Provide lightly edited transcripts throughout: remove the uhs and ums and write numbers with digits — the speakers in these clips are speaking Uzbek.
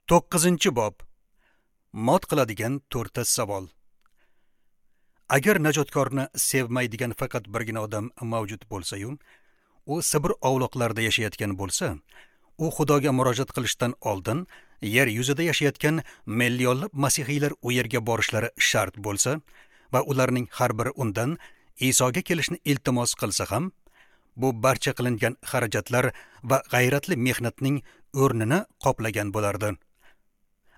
9-bob. Mot qiladigan 4 savol. Agar najotkorni sevmaydigan faqat birgina odam mavjud bo'lsa-yu, u Sibir ovloqlarida yashayotgan bo'lsa, u Xudoga murojaat qilishdan oldin yer yuzida yashayotgan millionlab masihiylar u yerga borishlari shart bo'lsa va ularning har biri undan Isoga kelishni iltimos qilsa ham, bu barcha qilingan xarajatlar va g'ayratli mehnatning o'rnini qoplagan bo'lardi.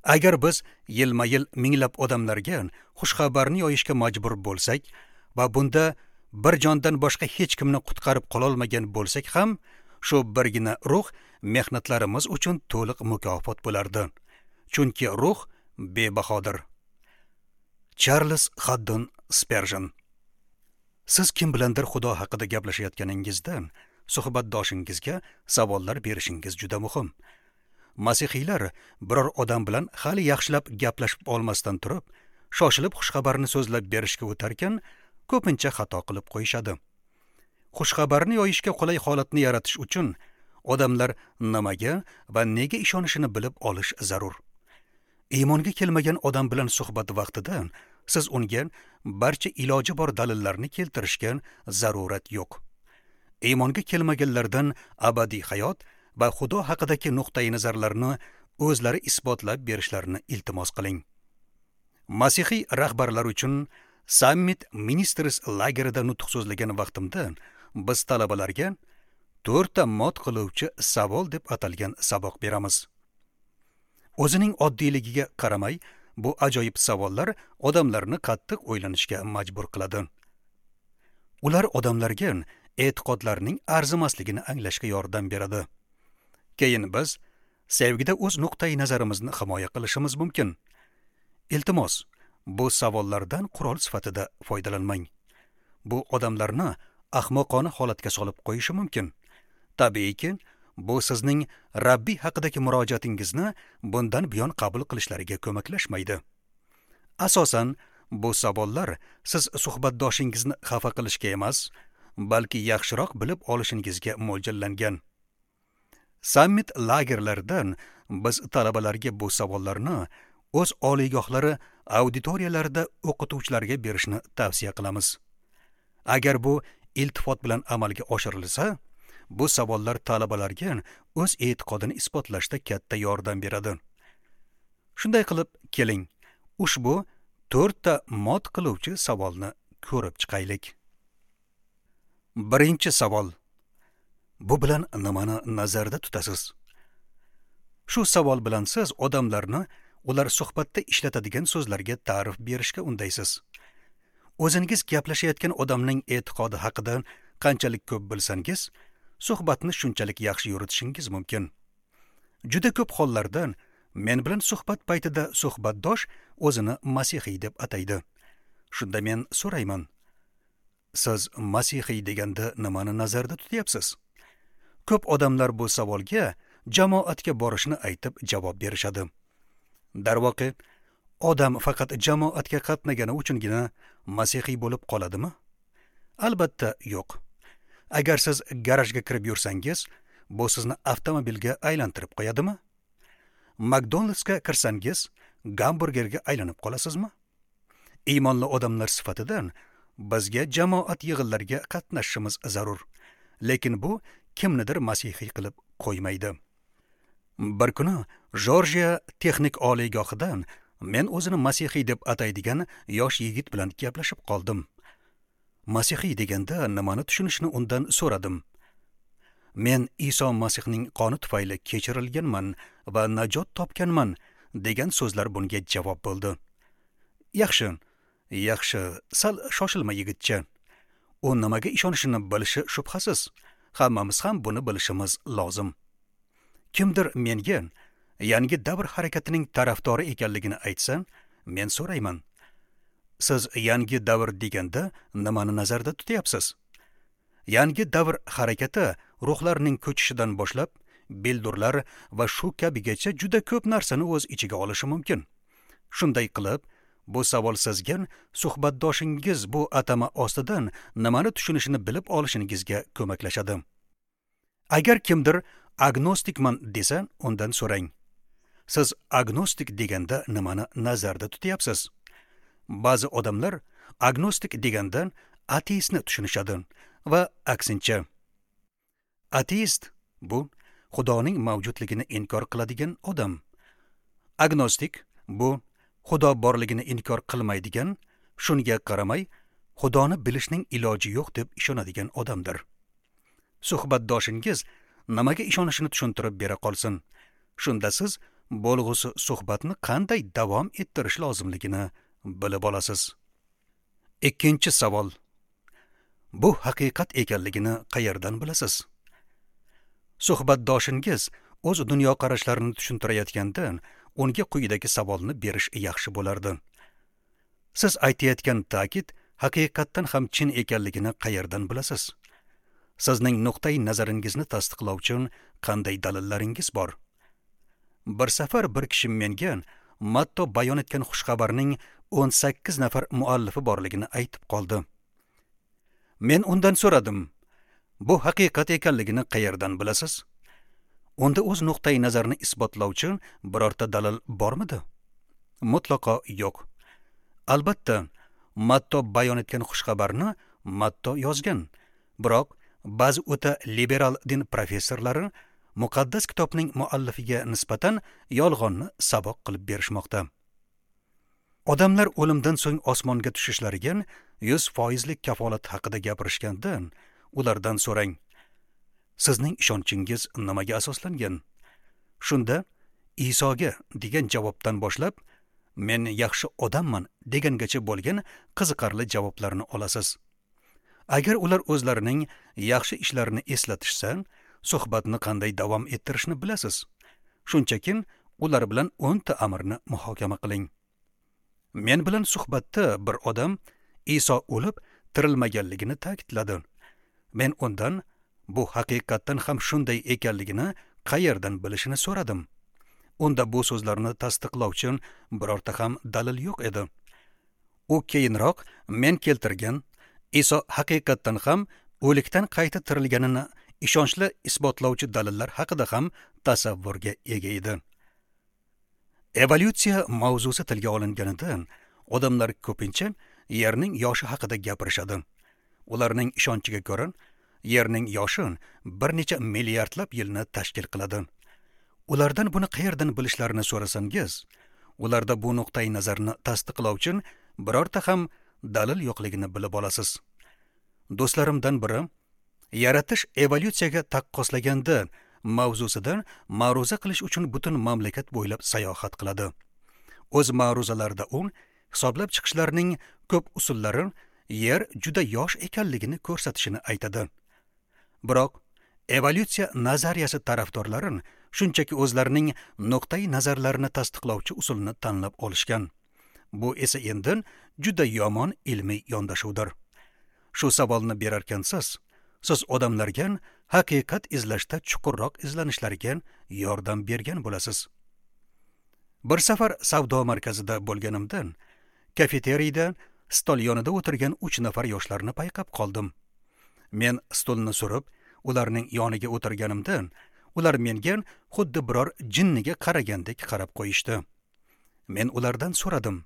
Agar biz yilma-yil minglab odamlarga xushxabarni yoyishga majbur bo'lsak va bunda bir jondan boshqa hech kimni qutqarib qololmagan bo'lsak ham, shu birgina ruh mehnatlarimiz uchun to'liq mukofot bo'lardi. Chunki ruh bebahodir. Charles Haddon Spurgeon. Siz kim bilandir Xudo haqida gaplashayotganingizda suhbatdoshingizga savollar berishingiz juda muhim. Masihiylar biror odam bilan hali yaxshilab gaplashib olmasdan turib, shoshilib xushxabarni so'zlab berishga o'tarkan, ko'pincha xato qilib qo'yishadi. Xushxabarni yoyishga qulay holatni yaratish uchun odamlar nimaga va nega ishonishini bilib olish zarur. Iymonga kelmagan odam bilan suhbat vaqtida siz unga barcha iloji bor dalillarni keltirishga zarurat yo'q. Iymonga kelmaganlardan abadiy hayot va Xudo haqidagi nuqtai nazarlarni o'zlari isbotlab berishlarini iltimos qiling. Masihiy rahbarlar uchun Summit Ministries lagerida nutq so'zlagan vaqtimda biz talabalarga 4 mot qiluvchi savol deb atalgan saboq beramiz. O'zining oddiyligiga qaramay, bu ajoyib savollar odamlarni qattiq o'ylanishga majbur qiladi. Ular odamlarga e'tiqodlarning arzimasligini anglashga yordam beradi. Keyin biz sevgida o'z nuqtai nazarimizni himoya qilishimiz mumkin. Iltimos, bu savollardan qurol sifatida foydalanmang. Bu odamlarni ahmoqona holatga solib qo'yishi mumkin. Tabiiyki, bu sizning Rabbiy haqidagi murojaatingizni bundan buyon qabul qilishlariga ko'maklashmaydi. Asosan, bu savollar siz suhbatdoshingizni xafa qilishga emas, balki yaxshiroq bilib olishingizga mo'ljallangan. Summit lagerlaridan biz talabalarga bu savollarni o'z oliygohlari auditoriyalarida o'qituvchilarga berishni tavsiya qilamiz. Agar bu iltifot bilan amalga oshirilsa, bu savollar talabalarga o'z e'tiqodini isbotlashda katta yordam beradi. Shunday qilib, keling, ushbu 4 mot qiluvchi savolni ko'rib chiqaylik. Birinchi savol. Bu bilan nimani nazarda tutasiz? Shu savol bilan siz odamlarni ular suhbatda ishlatadigan so'zlarga ta'rif berishga undaysiz. O'zingiz gaplashayotgan odamning e'tiqodi haqida qanchalik ko'p bilsangiz, suhbatni shunchalik yaxshi yuritishingiz mumkin. Juda ko'p hollarda men bilan suhbat paytida suhbatdosh o'zini masihiy deb ataydi. Shunda men so'rayman: siz masihiy deganda nimani nazarda tutyapsiz? Ko'p odamlar bu savolga jamoatga borishni aytib javob berishadi. Darvoqe, odam faqat jamoatga qatnagani uchungina masihiy bo'lib qoladimi? Albatta yo'q. Agar siz garajga kirib yursangiz, bu sizni avtomobilga aylantirib qo'yadimi? McDonald'sga kirsangiz, gamburgerga aylanib qolasizmi? Iymonli odamlar sifatidan bizga jamoat yig'inlariga qatnashishimiz zarur. Lekin bu kimnidir masihiy qilib qo'ymaydi. Bir kuni Jorjiya texnik oliygohidan men o'zini masihiy deb ataydigan yosh yigit bilan gaplashib qoldim. Masihiy deganda nimani tushunishni undan so'radim. Men Iso Masihning qoni tufayli kechirilganman va najot topganman degan so'zlar bunga javob bo'ldi. Yaxshi, yaxshi, sal shoshilma yigitcha. U nimaga ishonishini bilishi shubhasiz. Hammamiz ham buni bilishimiz lozim. Kimdir menga yangi davr harakatining tarafdori ekanligini aytsa, men so'rayman: siz yangi davr deganda nimani nazarda tutyapsiz? Yangi davr harakati ruhlarning ko'chishidan boshlab bildurlar va shu kabigacha juda ko'p narsani o'z ichiga olishi mumkin. Shunday qilib, bu savol sizga suhbatdoshingiz bu atama ostidan nimani tushunishini bilib olishingizga ko'maklashadi. Agar kimdir agnostikman desa, undan so'rang: Siz agnostik deganda nimani nazarda tutyapsiz? Ba'zi odamlar agnostik deganda ateistni tushunishadi va aksincha. Ateist bu Xudoning mavjudligini inkor qiladigan odam. Agnostik bu Xudo borligini inkor qilmaydigan, shunga qaramay Xudoni bilishning iloji yo'q deb ishonadigan odamdir. Suhbatdoshingiz nimaga ishonishini tushuntirib bera qolsin. Shunda siz bo'lg'usi suhbatni qanday davom ettirish lozimligini bilib olasiz. Ikkinchi savol. Bu haqiqat ekanligini qayerdan bilasiz? Suhbatdoshingiz o'z dunyoqarashlarini tushuntirayotganda unga quyidagi savolni berish yaxshi bo'lardi. Siz aytayotgan ta'kid haqiqatdan ham chin ekanligini qayerdan bilasiz? Sizning nuqtai nazaringizni tasdiqlovchi qanday dalillaringiz bor? Bir safar bir kishi menga Matto bayon etgan xushxabarning 18 nafar muallifi borligini aytib qoldi. Men undan so'radim: "Bu haqiqat ekanligini qayerdan bilasiz?" Unda o'z nuqtai nazarini isbotlovchi birorta dalil bormidi? Mutlaqo yo'q. Albatta, Matto bayon etgan xushxabarni Matto yozgan. Biroq ba'zi o'ta liberal din professorlari muqaddas kitobning muallifiga nisbatan yolg'onni saboq qilib berishmoqda. Odamlar o'limdan so'ng osmonga tushishlariga 100% kafolat haqida gapirishganda ulardan so'rang: "Sizning ishonchingiz nimaga asoslangan?" Shunda Isoga degan javobdan boshlab "Men yaxshi odamman" degangacha bo'lgan qiziqarli javoblarni olasiz. Agar ular o'zlarining yaxshi ishlarini eslatishsa, suhbatni qanday davom ettirishni bilasiz. Shunchaki ular bilan 10 ta amrni muhokama qiling. Men bilan suhbatda bir odam Iso o'lib tirilmaganligini ta'kidladi. Men undan bu haqiqatdan ham shunday ekanligini qayerdan bilishini so'radim. Unda bu so'zlarni tasdiqlovchi birorta ham dalil yo'q edi. U keyinroq men keltirgan Iso haqiqatdan ham o'likdan qayta tirilganini ishonchli isbotlovchi dalillar haqida ham tasavvurga ega edi. Evolyutsiya mavzusi tilga olinganida odamlar ko'pincha Yerning yoshi haqida gapirishadi. Ularning ishonchiga ko'ra, Yerning yoshi bir necha milliardlab yilni tashkil qiladi. Ulardan buni qayerdan bilishlarini so'rasangiz, ularda bu nuqtai nazarni tasdiqlovchi birorta ham dalil yo'qligini bilib olasiz. Do'stlarimdan biri yaratish evolyutsiyaga taqqoslaganda mavzusidan ma'ruza qilish uchun butun mamlakat bo'ylab sayohat qiladi. O'z ma'ruzalarida u hisoblab chiqishlarning ko'p usullari Yer juda yosh ekanligini ko'rsatishini aytadi. Biroq evolyutsiya nazariyasi tarafdorlari shunchaki o'zlarining nuqtai nazarlarini tasdiqlovchi usulni tanlab olishgan. Bu esa endi juda yomon ilmiy yondashuvdir. Shu savolni berarkansiz, siz odamlarga haqiqat izlashda chuqurroq izlanishlariga yordam bergan bo'lasiz. Bir safar savdo markazida bo'lganimda, kafeteriyda stol yonida o'tirgan 3 nafar yoshlarni payqab qoldim. Men stolni surib, ularning yoniga o'tirganimda, ular menga xuddi biror jinniga qaragandek qarab qo'yishdi. Men ulardan so'radim: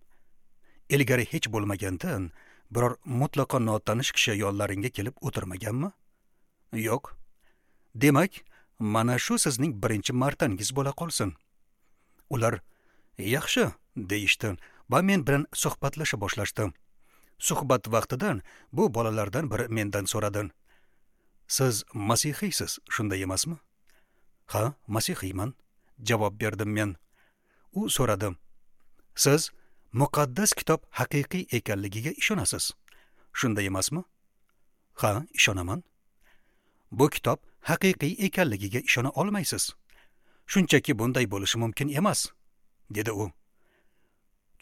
"Ilgari hech bo'lmaganda biror mutlaqo notanish kishi yonlaringga kelib o'tirmaganmi?" "Yo'q." "Demak, mana shu sizning birinchi martangiz bo'la qolsin." Ular "Yaxshi" deyishdi va men bilan suhbatlasha boshlashdi. Suhbat vaqtida bu bolalardan biri mendan so'radi: "Siz masihiysiz, shunday emasmi?" "Ha, masihiyman," javob berdim men. U so'radi: "Siz muqaddas kitob haqiqiy ekanligiga ishonasiz, shunday emasmi?" "Ha, ishonaman." "Bu kitob haqiqiy ekanligiga ishona olmaysiz. Shunchaki bunday bo'lishi mumkin emas," dedi u.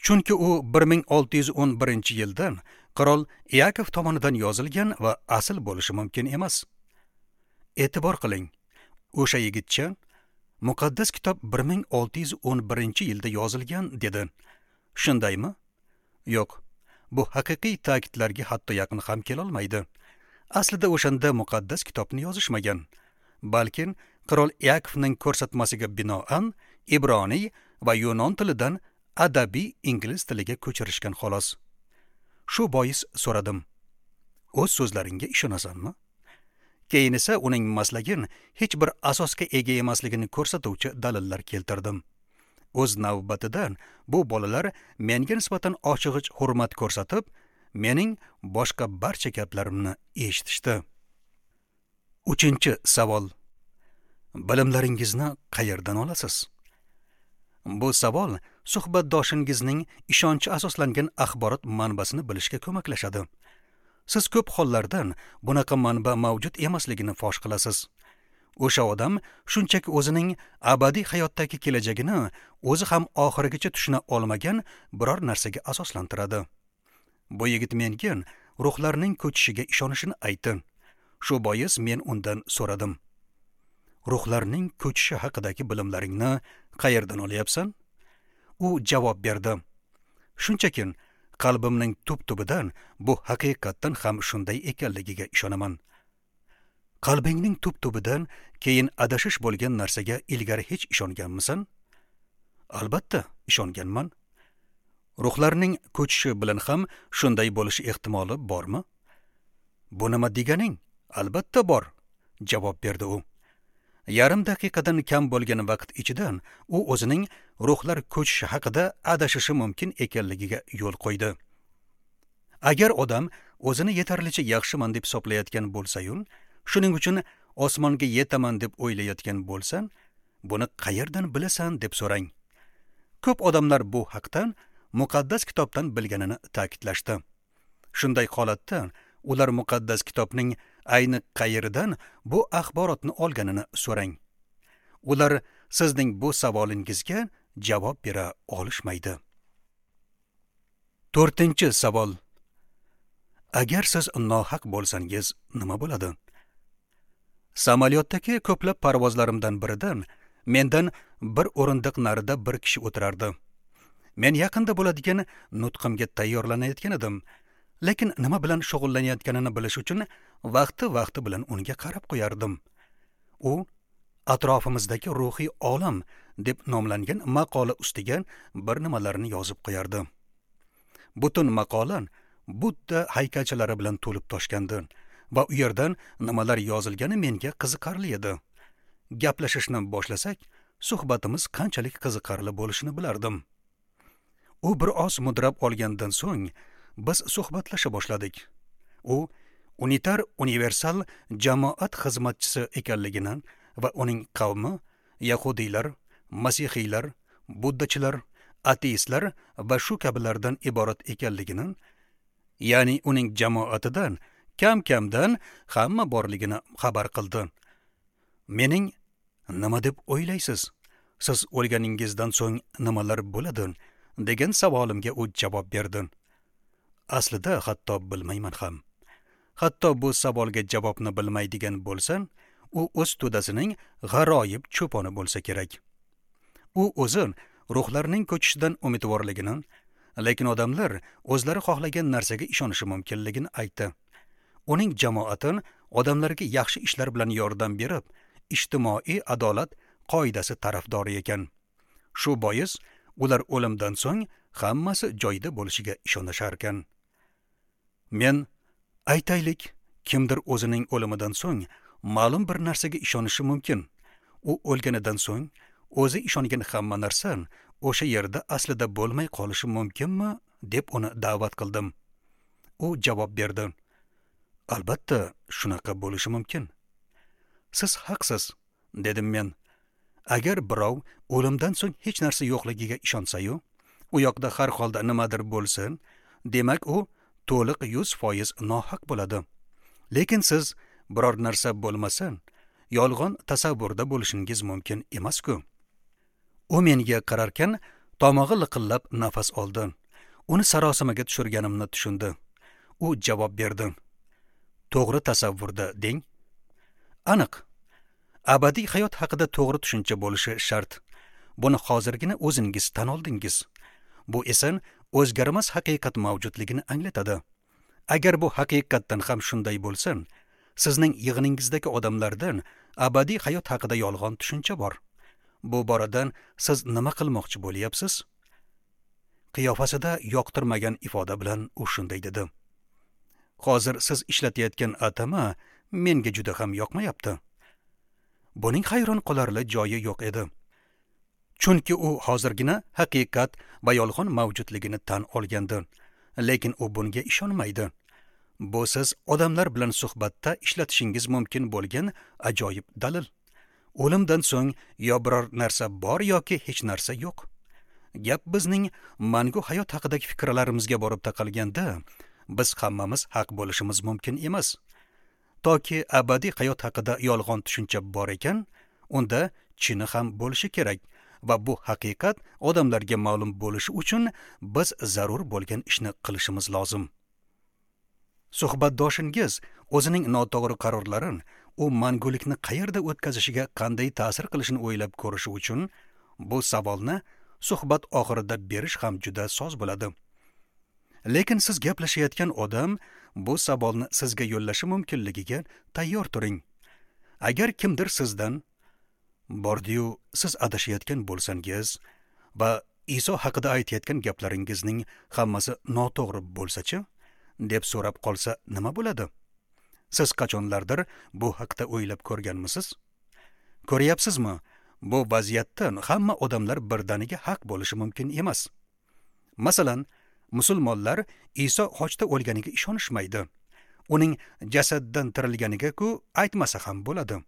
Chunki u 1611-yilda qirol Yakov tomonidan yozilgan va asl bo'lishi mumkin emas. E'tibor qiling, o'sha yigitcha muqaddas kitob 1611-yilda yozilgan dedi. Shundaymi? Yo'q. Bu haqiqiy ta'kidlarga hatto yaqin ham kela olmaydi. Aslida o'shanda muqaddas kitobni yozishmagan, balki qirol Yakovning ko'rsatmasiga binoan Ibroniy va yunon tilidan adabiy ingliz tiliga ko'chirishgan xolos. Shu bois so'radim: "O'z so'zlaringga ishonasanmi?" Keyin esa uning maslagin hech bir asosga ega emasligini ko'rsatuvchi dalillar keltirdim. O'z navbatidan bu bolalar menga nisbatan oshig'ich hurmat ko'rsatib, mening boshqa barcha gaplarimni eshitishdi. 3-savol. Bilimlaringizni qayerdan olasiz? Bu savol suhbatdoshingizning ishonchi asoslangan axborot manbasini bilishga ko'maklashadi. Siz ko'p hollardan bunaqa manba mavjud emasligini fosh qilasiz. O'sha odam shunchaki o'zining abadiy hayotdagi kelajagini o'zi ham oxirigacha tushuna olmagan biror narsaga asoslantiradi. Bu yigit menga ruhlarning ko'chishiga ishonishini aytdi. Shu bois men undan so'radim: "Ruhlarning ko'chishi haqidagi bilimlaringni qayerdan olyapsan?" U javob berdi: "Shunchaki qalbimning tub-tubidan bu haqiqatdan ham shunday ekanligiga ishonaman." Qalbingning tub-tubidan keyin adashish bo'lgan narsaga ilgari hech ishonganmisan? Albatta, ishonganman. Ruhlarning ko'chishi bilan ham shunday bo'lishi ehtimoli bormi? Bu nima deganing? Albatta bor, javob berdi u. Yarim daqiqadan kam bo'lgan vaqt ichidan u o'zining ruhlar ko'chishi haqida adashishi mumkin ekanligiga yo'l qo'ydi. Agar odam o'zini yetarlicha yaxshiman deb hisoblayotgan bo'lsa-yu, shuning uchun osmonga yetaman deb o'ylayotgan bo'lsan, buni qayerdan bilasan deb so'rang. Ko'p odamlar bu haqdan muqaddas kitobdan bilganini ta'kidlashdi. Shunday holatda ular muqaddas kitobning ayni qayeridan bu axborotni olganini so'rang. Ular sizning bu savolingizga javob bera olishmaydi. 4-savol. Agar siz nohaq bo'lsangiz, nima bo'ladi? Samolyotdagi ko'plab parvozlarimdan biridan mendan bir o'rindiq narida bir kishi o'tirardi. Men yaqinda bo'ladigan nutqimga tayyorlanayotgan edim, lekin nima bilan shug'ullanayotganini bilish uchun vaqti-vaqti bilan unga qarab qo'yardim. U atrofimizdagi ruhiy olam deb nomlangan maqola ustiga bir nimalarni yozib qo'yardi. Butun maqola Budda haykalchalari bilan to'lib toshgandi va u yerdan nimalar yozilgani menga qiziqarli edi. Gaplashishni boshlasak, suhbatimiz qanchalik qiziqarli bo'lishini bilardim. U bir oz mudrab olgandan so'ng biz suhbatlasha boshladik. U unitar universal jamoat xizmatchisi ekanligini va uning qavmi yahudiylar, masihiylar, buddachilar, ateistlar va shu kabilardan iborat ekanligini, ya'ni uning jamoatidan kam-kamdan hamma borligini xabar qildi. Mening nima deb o'ylaysiz? Siz o'lganingizdan so'ng nimalar bo'ladi? Degan savolimga u javob berdi. Aslida hatto bilmayman ham. Hatto bu savolga javobni bilmaydigan bo'lsa, u o'z to'dasining g'aroyib cho'poni bo'lsa kerak. U o'zi ruhlarning ko'chishidan umidvorligini, lekin odamlar o'zlari xohlagan narsaga ishonishi mumkinligini aytdi. Uning jamoati odamlarga yaxshi ishlar bilan yordam berib, ijtimoiy adolat qoidasi tarafdori ekan. Shu bois ular o'limdan so'ng hammasi joyida bo'lishiga ishonishar ekan. Men aytaylik, kimdir o'zining o'limidan so'ng ma'lum bir narsaga ishonishi mumkin. U o'lganidan so'ng o'zi ishongan hamma narsa o'sha yerda aslida bo'lmay qolishi mumkinmi deb uni da'vat qildim. U javob berdi: Albatta, shunaqa bo'lishi mumkin. Siz haqsiz, dedim men. Agar birov o'limdan so'ng hech narsa yo'qligiga ishonsa-yu, u yoqda har holda nimadir bo'lsa, demak u to'liq 100% nohaq bo'ladi. Lekin siz biror narsa bo'lmasa, yolg'on tasavvurda bo'lishingiz mumkin emas-ku. U menga qararkan, tomog'i liqillab nafas oldi. Uni sarosimaga tushirganimni tushundi. U javob berdi: To'g'ri tasavvurda deng. Aniq. Abadiy hayot haqida to'g'ri tushuncha bo'lishi shart. Buni hozirgina o'zingiz tan oldingiz. Bu esa o'zgarmas haqiqat mavjudligini anglatadi. Agar bu haqiqatdan ham shunday bo'lsa, sizning yig'iningizdagi odamlardan abadiy hayot haqida yolg'on tushuncha bor. Bu boradan siz nima qilmoqchi bo'lyapsiz? Qiyofasida yoqtirmagan ifoda bilan u shunday dedi: Hozir siz ishlatayotgan atama menga juda ham yoqmayapti. Buning hayron qolarli joyi yo'q edi. Chunki u hozirgina haqiqat va yolg'on mavjudligini tan olgandi, lekin u bunga ishonmaydi. Bu siz odamlar bilan suhbatda ishlatishingiz mumkin bo'lgan ajoyib dalil. O'limdan so'ng yo biror narsa bor yoki hech narsa yo'q. Gap bizning mangu hayot haqidagi fikrlarimizga borib taqalganda, biz hammamiz haq bo'lishimiz mumkin emas. Toki abadiy hayot haqida yolg'on tushuncha bor ekan, unda chini ham bo'lishi kerak va bu haqiqat odamlarga ma'lum bo'lishi uchun biz zarur bo'lgan ishni qilishimiz lozim. Suhbatdoshingiz o'zining noto'g'ri qarorlarini u mangulikni qayerda o'tkazishiga qanday ta'sir qilishini o'ylab ko'rishi uchun bu savolni suhbat oxirida berish ham juda soz bo'ladi. Lekin siz gaplashayotgan odam bu savolni sizga yo'llashi mumkinligiga tayyor turing. Agar kimdir sizdan bordiyu siz adashayotgan bo'lsangiz va Iso haqida aytayotgan gaplaringizning hammasi noto'g'ri bo'lsa-chi, deb so'rab qolsa nima bo'ladi? Siz qachonlardir bu haqda o'ylab ko'rganmisiz? Ko'ryapsizmi? Bu vaziyatda hamma odamlar birdaniga haq bo'lishi mumkin emas. Masalan, musulmonlar Iso xochda o'lganiga ishonishmaydi. Uning jasaddan tirilganiga-ku aytmasa ham bo'ladi.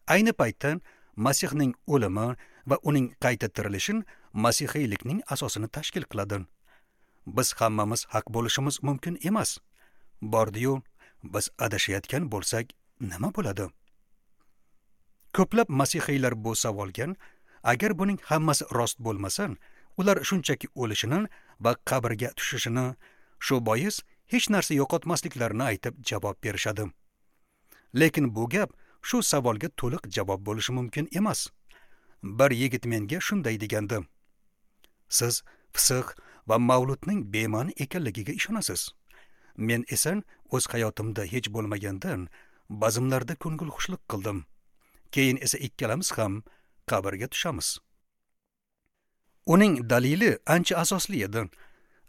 Ayni paytda Masihning o'limi va uning qayta tirilishi masihiylikning asosini tashkil qiladi. Biz hammamiz haq bo'lishimiz mumkin emas. Bordiyu biz adashayotgan bo'lsak nima bo'ladi? Ko'plab masihiylar bu savolga, agar buning hammasi rost bo'lmasa, ular shunchaki o'lishini va qabrga tushishini, shu bois hech narsa yo'qotmasliklarini aytib javob berishadi. Lekin bu gap shu savolga to'liq javob bo'lishi mumkin emas. Bir yigit menga shunday degandi: Siz fisq va mavludning bema'ni ekanligiga ishonasiz. Men esa o'z hayotimda hech bo'lmagandan bazmlarda ko'ngilxushlik qildim. Keyin esa ikkalamiz ham qabrga tushamiz. Uning dalili ancha asosli edi.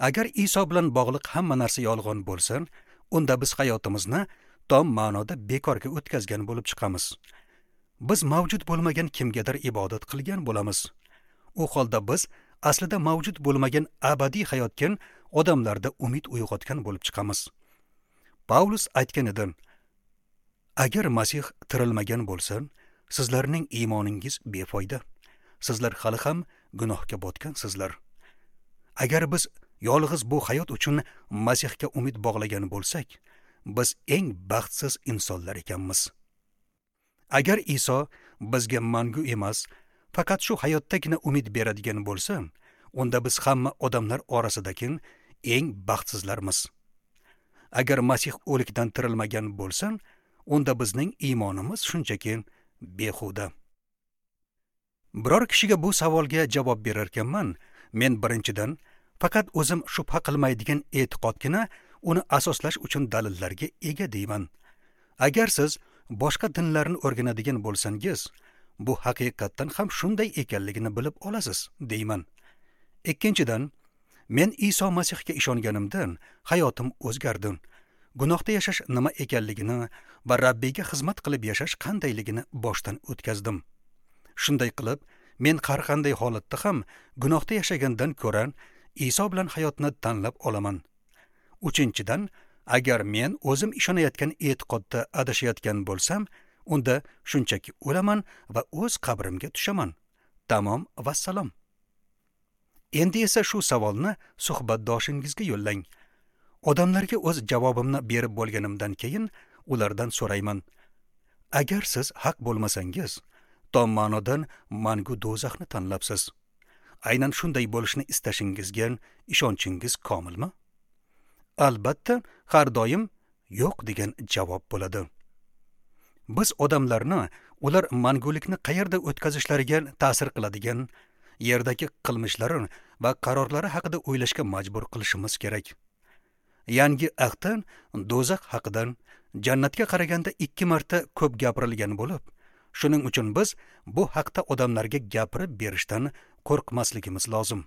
Agar Iso bilan bog'liq hamma narsa yolg'on bo'lsa, unda biz hayotimizni tom ma'noda bekorga o'tkazgan bo'lib chiqamiz. Biz mavjud bo'lmagan kimgadir ibodat qilgan bo'lamiz. U holda biz aslida mavjud bo'lmagan abadiy hayotga odamlarda umid uyg'otgan bo'lib chiqamiz. Paulus aytgan edi: Agar Masih tirilmagan bo'lsa, sizlarning iymoningiz befoyda. Sizlar hali ham gunohga botgansizlar. Agar biz yolg'iz bu hayot uchun Masihga umid bog'lagan bo'lsak, biz eng baxtsiz insonlar ekanmiz. Agar Iso bizga mangu emas, faqat shu hayotdagina umid beradigan bo'lsa, unda biz hamma odamlar orasidagi eng baxtsizlarmiz. Agar Masih o'likdan tirilmagan bo'lsa, unda bizning iymonimiz shunchaki behuda. Biror kishiga bu savolga javob berar ekanman, men birinchidan faqat o'zim shubha qilmaydigan e'tiqodgina uni asoslash uchun dalillarga ega deyman. Agar siz boshqa dinlarni o'rganadigan bo'lsangiz, bu haqiqatdan ham shunday ekanligini bilib olasiz deyman. Ikkinchidan, men Iso Masihga ishonganimdan hayotim o'zgardi. Gunohda yashash nima ekanligini va Rabbiyga xizmat qilib yashash qandayligini boshdan o'tkazdim. Shunday qilib, men har qanday holatda ham gunohda yashagandan ko'ra Iso bilan hayotni tanlab olaman. Uchinchidan, agar men o'zim ishonayotgan e'tiqodda adashayotgan bo'lsam, unda shunchaki o'laman va o'z qabrimga tushaman. Tamom, vassalom. Endi esa shu savolni suhbatdoshingizga yo'llang. Odamlarga o'z javobimni berib bo'lganimdan keyin ulardan so'rayman: Agar siz haq bo'lmasangiz, tom ma'nodan mangu do'zaxni tanlabsiz. Aynan shunday bo'lishini istashingizga ishonchingiz komilmi? Albatta, har doim yo'q degan javob bo'ladi. Biz odamlarni ular mangulikni qayerda o'tkazishlariga ta'sir qiladigan yerdagi qilmishlari va qarorlari haqida o'ylashga majbur qilishimiz kerak. Yangi ahdda do'zax haqida jannatga qaraganda 2 marta ko'p gapirilgan bo'lib, Shuning uchun biz bu haqda odamlarga gapirib berishdan qo'rqmasligimiz lozim.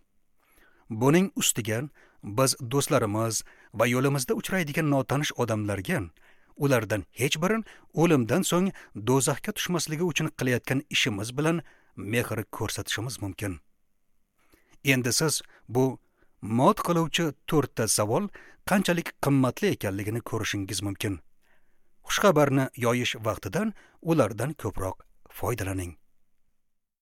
Buning ustiga biz do'stlarimiz va yo'limizda uchraydigan notanish odamlarga ulardan hech birin o'limdan so'ng do'zaxga tushmasligi uchun qilayotgan ishimiz bilan mehr ko'rsatishimiz mumkin. Endi siz bu mot qiluvchi to'rtta savol qanchalik qimmatli ekanligini ko'rishingiz mumkin. Xushxabarni yoyish vaqtidan ulardan ko'proq foydalaning.